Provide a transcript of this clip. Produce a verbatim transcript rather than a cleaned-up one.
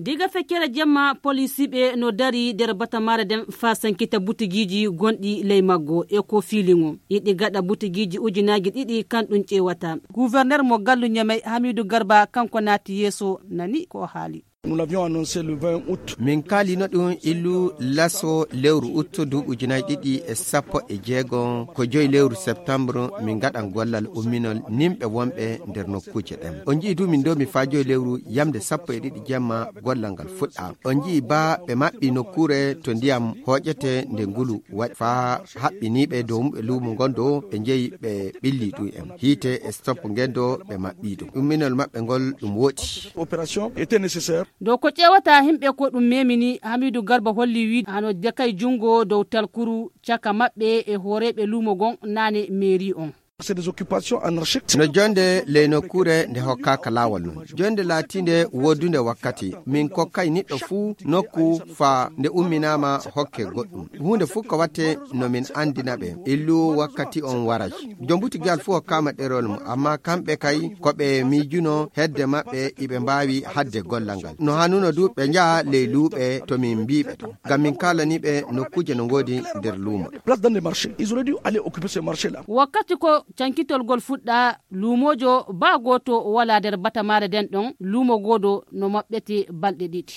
Diga feccere jemma, polisiiɓe no darii nder batamaare nden faa sankita butigiiji gonɗi ley maggo e ko fiili ngon. Iɗi gaɗa butigiiji ujunaaji ɗiɗi kan ɗum ƴeewata. Guwerner mo gallu Ñamey, Hamiidu Garba, kanko naati yeeso, nani ko o haali. Min kaalino ɗum illu laso lewru ut duuɓi ujunaaji ɗiɗi e sappo e jeego, ko joyi lewru septembre, min ngaɗan gollal umminol nimɓe wonɓe nder nokkuuje ɗen. On nji'i du min doomi faa joyi lewru yamde sappo e ɗiɗi jemma gollal ngal fuɗɗa. On nji'i baa ɓe maɓɓi nokkuure to ndiyam hooƴete nde ngulu waɗi faa haɓɓiniiɓe dow muɓɓe luumo ngon dow ɓe njeyi ɓe ɓilli ɗum en. Hiite e stop ngen dow ɓe maɓɓi ɗum. Umminol maɓɓe ngol ɗum woɗi. Dow ko ƴeewata himɓe ko ɗum memini, Hamiidu Garba holli wiide hano dekay junngo dow talkuru caka maɓɓe e hooreeɓe luumo ngon naane meeri on. No jonde ley nokkuure nde hokkaaka laawol non. Jonde laatiinde woodunde wakkati. Min kokkay niɗɗo fuu nokku faa nde umminaama hokke goɗɗum. Huunde fuu ko watte no min anndina ɓe. Illu wakkati on waray. Jom butigal fuu hokkaama ɗerewol mum, ammaa kamɓe kay ko ɓe miijuno hedde maɓɓe iɓe mbaawi hadde gollal ngal. No hanuno du ɓe njaha ley luuɓe to min mbii ɓe ton. Ngam min kaalanii ɓe nokkuuje no ngoodi nder luumo. Wakkati ko cankitol ngol fuɗɗa, luumoojo baa gooto walaa nder batamaare nden ɗon, luumo gooto no maɓɓete balɗe ɗiɗi.